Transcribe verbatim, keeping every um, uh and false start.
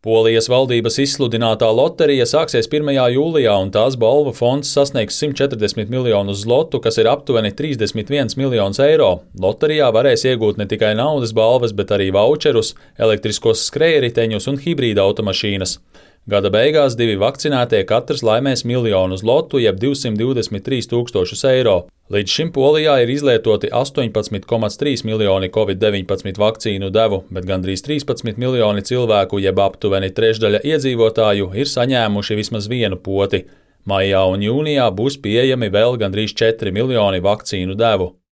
Polijas valdības izsludinātā loterija sāksies pirmajā jūlijā, un tās balvu fonds sasniegs simt četrdesmit miljonus zlotu, kas ir aptuveni trīsdesmit viens miljons eiro. Loterijā varēs iegūt ne tikai naudas balvas, bet arī vaučerus, elektriskos skrējriteņus un hibrīda automašīnas. Gada beigās divi vakcinētie katrs laimēs miljonu zlotu, jeb divsimt divdesmit trīs tūkstošus eiro. Līdz šim Polijā ir izlietoti astoņpadsmit komats trīs miljoni covid deviņpadsmit vakcīnu devu, bet gandrīz trīspadsmit miljoni cilvēku, jeb aptuveni trešdaļa iedzīvotāju, ir saņēmuši vismaz vienu poti. Maijā un jūnijā būs pieejami vēl gandrīz četri miljoni vakcīnu devu.